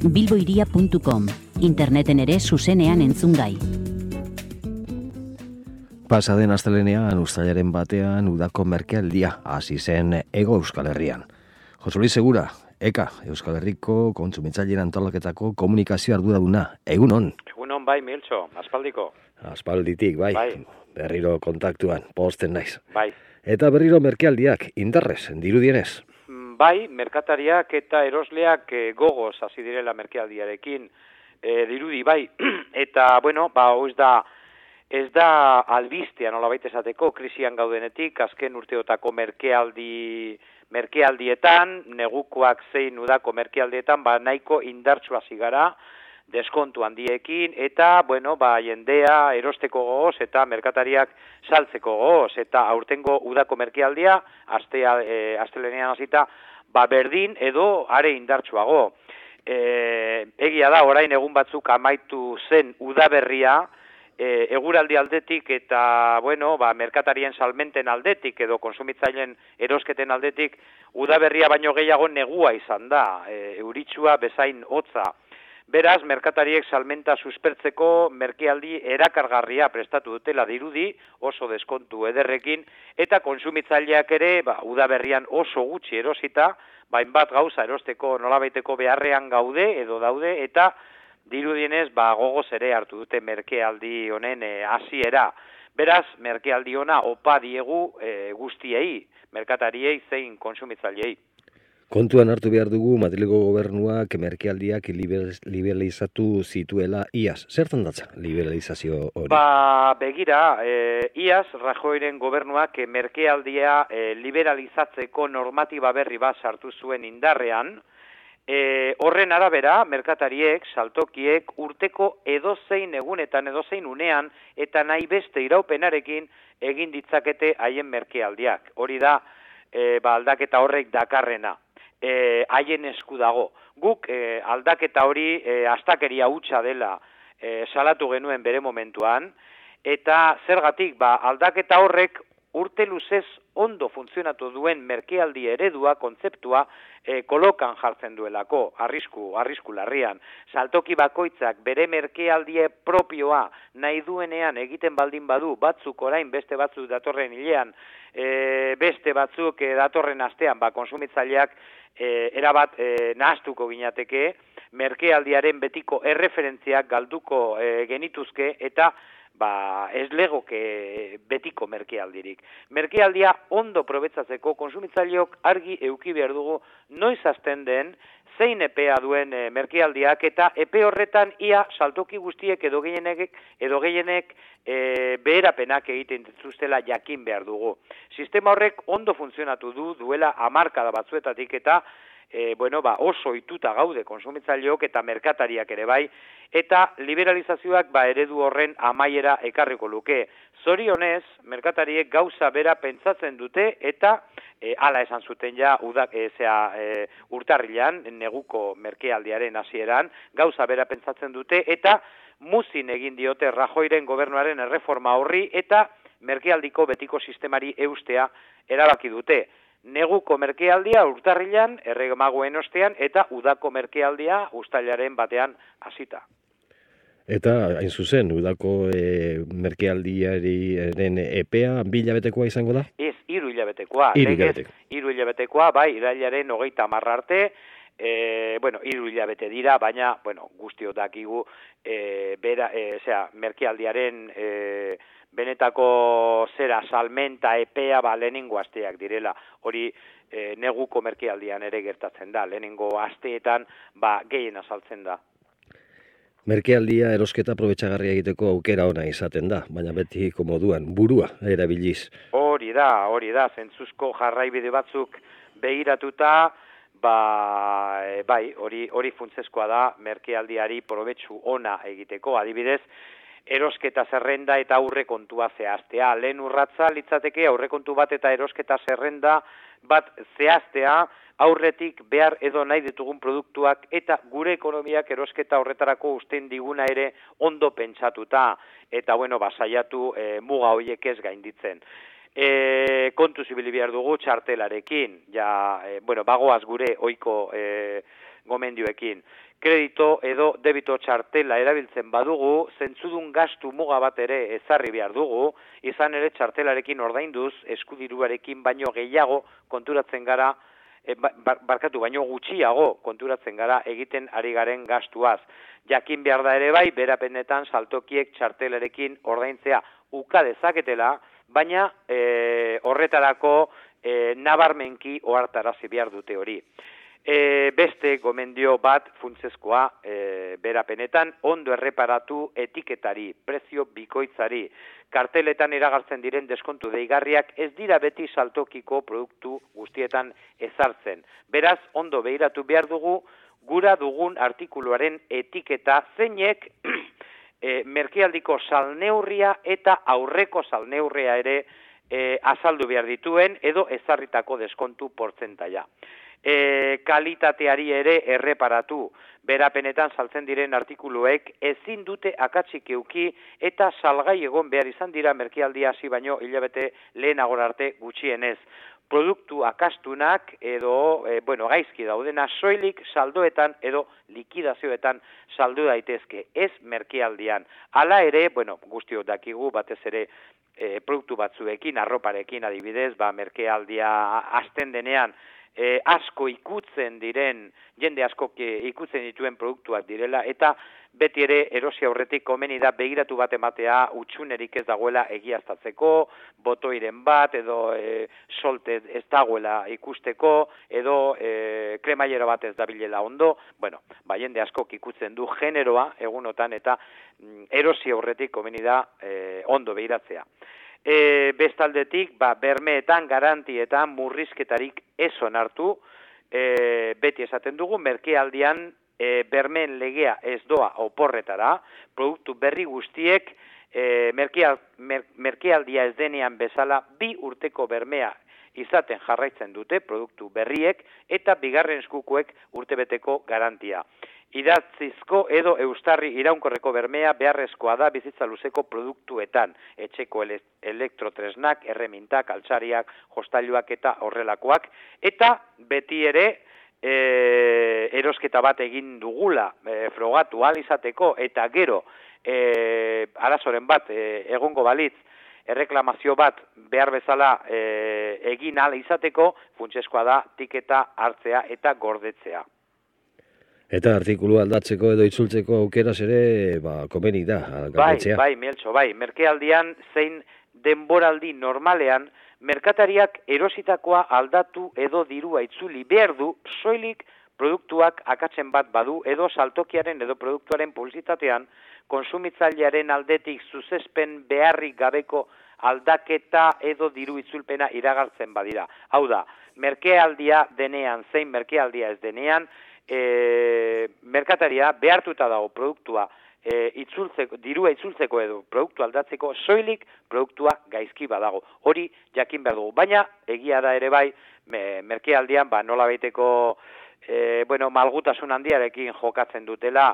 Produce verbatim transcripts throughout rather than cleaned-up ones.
bilboiria puntu com, interneten ere zuzenean entzungai. Pasaden astelenean, uztailaren batean, udako merkealdia hasi zen Hego Euskal Herrian. Jose Luis Segura, Eka, Euskal Herriko kontsumitzaileen antolaketako komunikazio arduraduna. Egunon? Egunon bai, Miltxo, aspaldiko. Aspalditik, bai. Bai. Berriro kontaktuan, posten naiz. Bai. Eta berriro merkealdiak, indarrez, dirudienez. Bai, merkatariak eta erosleak e, gogoz hasi direla merkealdiarekin e, dirudi, bai. Eta, bueno, ba, ez da, ez da albistea nolabait esateko, krisian gaudenetik, azken urteotako merkealdi, merkealdietan, negukoak zein udako merkealdietan, ba, nahiko indartsu hasi gara, deskontu handiekin, eta, bueno, ba, jendea erosteko gogoz, eta merkatariak saltzeko gogoz, eta aurtengo udako merkealdia, astea, e, astelenean hasita, ba, berdin edo are indartsuago. E, egia da, orain egun batzuk amaitu zen udaberria, e, eguraldi aldetik eta, bueno, ba, merkatarien salmenten aldetik edo konsumitzaileen erosketen aldetik, udaberria baino gehiago negua izan da, e, euritsua bezain hotza. Beraz, merkatariek salmenta suspertzeko merkealdi erakargarria prestatu dutela dirudi, oso deskontu ederrekin, eta konsumitzaileak ere, ba, udaberrian oso gutxi erosita, bainbat gauza erosteko nolabaiteko beharrean gaude edo daude, eta dirudienez, ba, gogoz ere hartu dute merkealdi honen e, hasiera. Beraz, merkealdi ona opa diegu e, guztiei, merkatariei zein konsumitzaileei. Kontuan hartu behar dugu Madrilgo gobernuak merkealdiak liberalizatu zituela iaz. Zertan datza liberalizazio hori? Ba, begira, e, iaz Rajoyren gobernuak merkealdia e, liberalizatzeko normatiba berri bat sartu zuen indarrean. E, horren arabera, merkatariek, saltokiek, urteko edozein egunetan, edozein unean, eta nahi beste iraupenarekin egin ditzakete haien merkealdiak. Hori da, e, ba, aldaketa horrek dakarrena. E, haien esku dago. Guk e, aldaketa hori e, astakeria hutsa dela e, salatu genuen bere momentuan, eta zergatik ba, aldaketa horrek urte luzez ondo funtzionatu duen merkealdi eredua, kontzeptua, e, kolokan jartzen duelako, arrisku, arrisku larrian. Saltoki bakoitzak bere merkealdie propioa nahi duenean egiten baldin badu, batzuk orain beste batzuk datorren hilean, e, beste batzuk e, datorren astean, ba, konsumitzaileak E, erabat e, nahaztuko ginateke, merkealdiaren betiko erreferentziak galduko e, genituzke eta ba, ez legoke betiko merkealdirik. Merkealdia ondo probetzatzeko konsumitzaileok argi eduki behar dugu noiz hasten den, zein epea duen e, merkealdiak eta epe horretan ia saltoki guztiek edo gehienek, edo gehienek e, beherapenak egiten dituztela jakin behar dugu. Sistema horrek ondo funtzionatu du duela hamarkada batzuetatik eta e, bueno, ba, oso ituta gaude konsumitzaileok eta merkatariak ere bai, eta liberalizazioak ba, eredu horren amaiera ekarriko luke. Zorionez, merkatariek gauza bera pentsatzen dute eta e, hala esan zuten ja udak, e, zea, e, urtarrilan, neguko merkealdiaren hasieran, gauza bera pentsatzen dute eta muzin egin diote Rajoyren gobernuaren erreforma horri eta merkealdiko betiko sistemari eustea erabaki dute. Neguko merkealdia urtarrilan, erremagoen ostean, eta udako merkealdia uztailaren batean hasita. Eta, hain zuzen, udako e, merkealdiaren epea bi hilabetekoa izango da? Ez, hiru hilabetekoa. Hiru hilabetekoa. Hiru hilabetekoa, bai, irailaren hogeita hamar arte, e, bueno, hiru hilabete dira, baina, bueno, guztio dakigu, e, bera, e, zera, merkealdiaren e, benetako zera salmenta epea ba lehenengo asteak direla. Hori e, neguko merkealdian ere gertatzen da. Lehenengo asteetan ba gehien azaltzen da. Merkealdia erosketa probetxagarria egiteko aukera ona izaten da, baina beti komoduan, burua erabiliz. Hori da, hori da, zentzuzko jarraibide batzuk begiratuta, ba, e, bai, hori hori funtsezkoa da merkealdiari probetxu ona egiteko, adibidez, erosketa zerrenda eta aurrekontua zehaztea. Lehen urratza litzateke aurrekontu bat eta erosketa zerrenda bat zehaztea, aurretik behar edo nahi ditugun produktuak eta gure ekonomiak erosketa horretarako usten diguna ere ondo pentsatuta eta bueno, basaiatu e, muga horiek ez gainditzen. E, kontu zibili behar dugu txartelarekin, ja, e, bueno, bagoaz gure ohiko e, gomendioekin. kredito edo debito txartela erabiltzen badugu, zentzudun gastu muga bat ere ezarri behar dugu, izan ere txartelarekin ordainduz, eskudiruarekin baino gehiago konturatzen gara, e, barkatu baino gutxiago konturatzen gara egiten ari garen gastuaz. Jakin behar da ere bai, berapenetan saltokiek txartelarekin ordaintzea uka dezaketela, baina e, horretarako e, nabarmenki ohartarazi behar dute hori. E, beste gomendio bat funtsezkoa e, berapenetan ondo erreparatu etiketari, prezio bikoitzari. Karteletan iragartzen diren deskontu deigarriak ez dira beti saltokiko produktu guztietan ezartzen. Beraz, ondo behiratu behar dugu gura dugun artikuluaren etiketa zeinek e, merkealdiko salneurria eta aurreko salneurria ere e, azaldu behar dituen edo ezarritako deskontu portzentaia. E, kalitateari ere erreparatu, berapenetan saltzen diren artikuluek ezin dute akatsik euki eta salgai egon behar izan dira merkealdia hasi baino hilabete lehenago arte gutxienez. Produktu akastunak edo, e, bueno, gaizki daudena soilik saldoetan edo likidazioetan saldu daitezke, ez merkealdian. Hala ere, bueno, guztiok dakigu batez ere e, produktu batzuekin, arroparekin adibidez, ba, merkealdia hasten denean, E, asko ikutzen diren, jende asko ikutzen dituen produktuak direla, eta beti ere erosi aurretik komeni da begiratu bat ematea utxunerik ez dagoela egiaztatzeko, botoiren bat, edo e, solte ez dagoela ikusteko, edo e, kremailero bat ez dabilela ondo, bueno, ba, jende asko ikutzen du generoa egunotan, eta mm, erosi aurretik komeni da e, ondo begiratzea. E, bestaldetik, ba, bermeetan, garantietan, murrizketarik ez onartu, e, beti esaten dugu, merkealdian e, bermeen legea ez doa oporretara, produktu berri guztiek, e, merkeal, mer, merkealdia ez denean bezala, bi urteko bermea izaten jarraitzen dute produktu berriek, eta bigarren eskukoek urtebeteko garantia. Idatzizko edo eustarri iraunkorreko bermea beharrezkoa da bizitza luzeko produktuetan, etxeko ele elektrotresnak, erremintak, altzariak, jostailuak eta horrelakoak, eta beti ere e, erosketa bat egin dugula e, frogatu ahal izateko, eta gero e, arazoren bat e, egongo balitz, erreklamazio bat behar bezala e, egin ahal izateko, funtsezkoa da tiketa hartzea eta gordetzea. Eta artikulu aldatzeko edo itzultzeko aukeraz ere, ba, komeni da, galdetzea. Bai, bai, Mieltxo, bai. Merkealdian zein denboraldi normalean, merkatariak erositakoa aldatu edo dirua itzuli behar du, soilik produktuak akatzen bat badu edo saltokiaren edo produktuaren publizitatean, konsumitzailearen aldetik zuzespen beharrik gabeko aldaketa edo diru itzulpena iragartzen badira. Hau da, merkealdia denean, zein merkealdia ez denean, E, merkataria behartuta dago produktua e, itzultzeko, dirua itzultzeko edo produktu aldatzeko, soilik produktua gaizki badago. Hori jakin behar dugu. Baina, egia da ere bai, me, merkealdian, ba, nola baiteko e, bueno, malgutasun handiarekin jokatzen dutela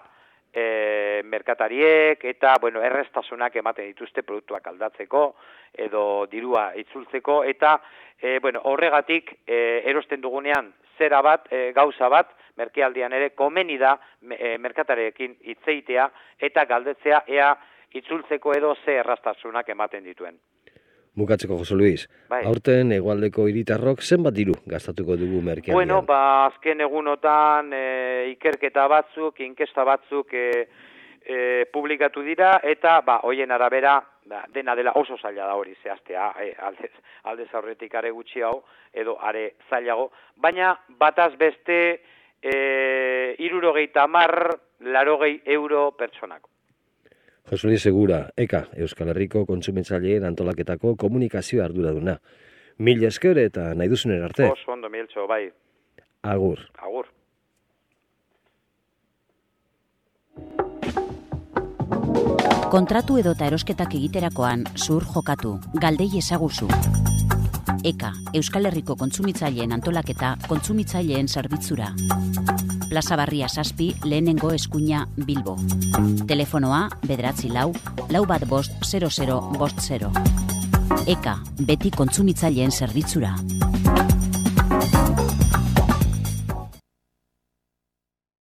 e, merkatariek, eta bueno, erreztasunak ematen dituzte produktuak aldatzeko, edo dirua itzultzeko, eta e, bueno, horregatik e, erosten dugunean zera bat, e, gauza bat, merkealdian ere komeni da e, merkatarekin hitzeitea eta galdetzea ea itzultzeko edo ze errastasunak ematen dituen. Bukatzeko, Jose Luis, bai. Aurten hegoaldeko hiritarrok zenbat diru gastatuko dugu merkealdian? Bueno, ba, azken egunotan e, ikerketa batzuk, inkesta batzuk e, e, publikatu dira, eta ba, hoien arabera, ba, dena dela oso zaila da hori zehaztea, e, aldez, aldez aurretik are gutxiago, edo are zailago, baina bataz beste E, irurogeita hamar, larogei euro pertsonako. Jose Luis Segura, Eka, Euskal Herriko kontsumitzaileen antolaketako komunikazio arduraduna. Mil esker eta nahi duzunen arte. Oso ondo, Mieltxo, bai. Agur. Agur. Kontratu edota erosketak egiterakoan zur jokatu, galdei ezaguzu. Eka, Euskal Herriko kontsumitzaileen antolaketa kontsumitzaileen zerbitzura. Plaza Barria zazpi, lehenengo eskuina Bilbo. Telefonoa, bederatzi lau, lau bat bost, zero zero, bost zero. Eka, beti kontsumitzaileen zerbitzura.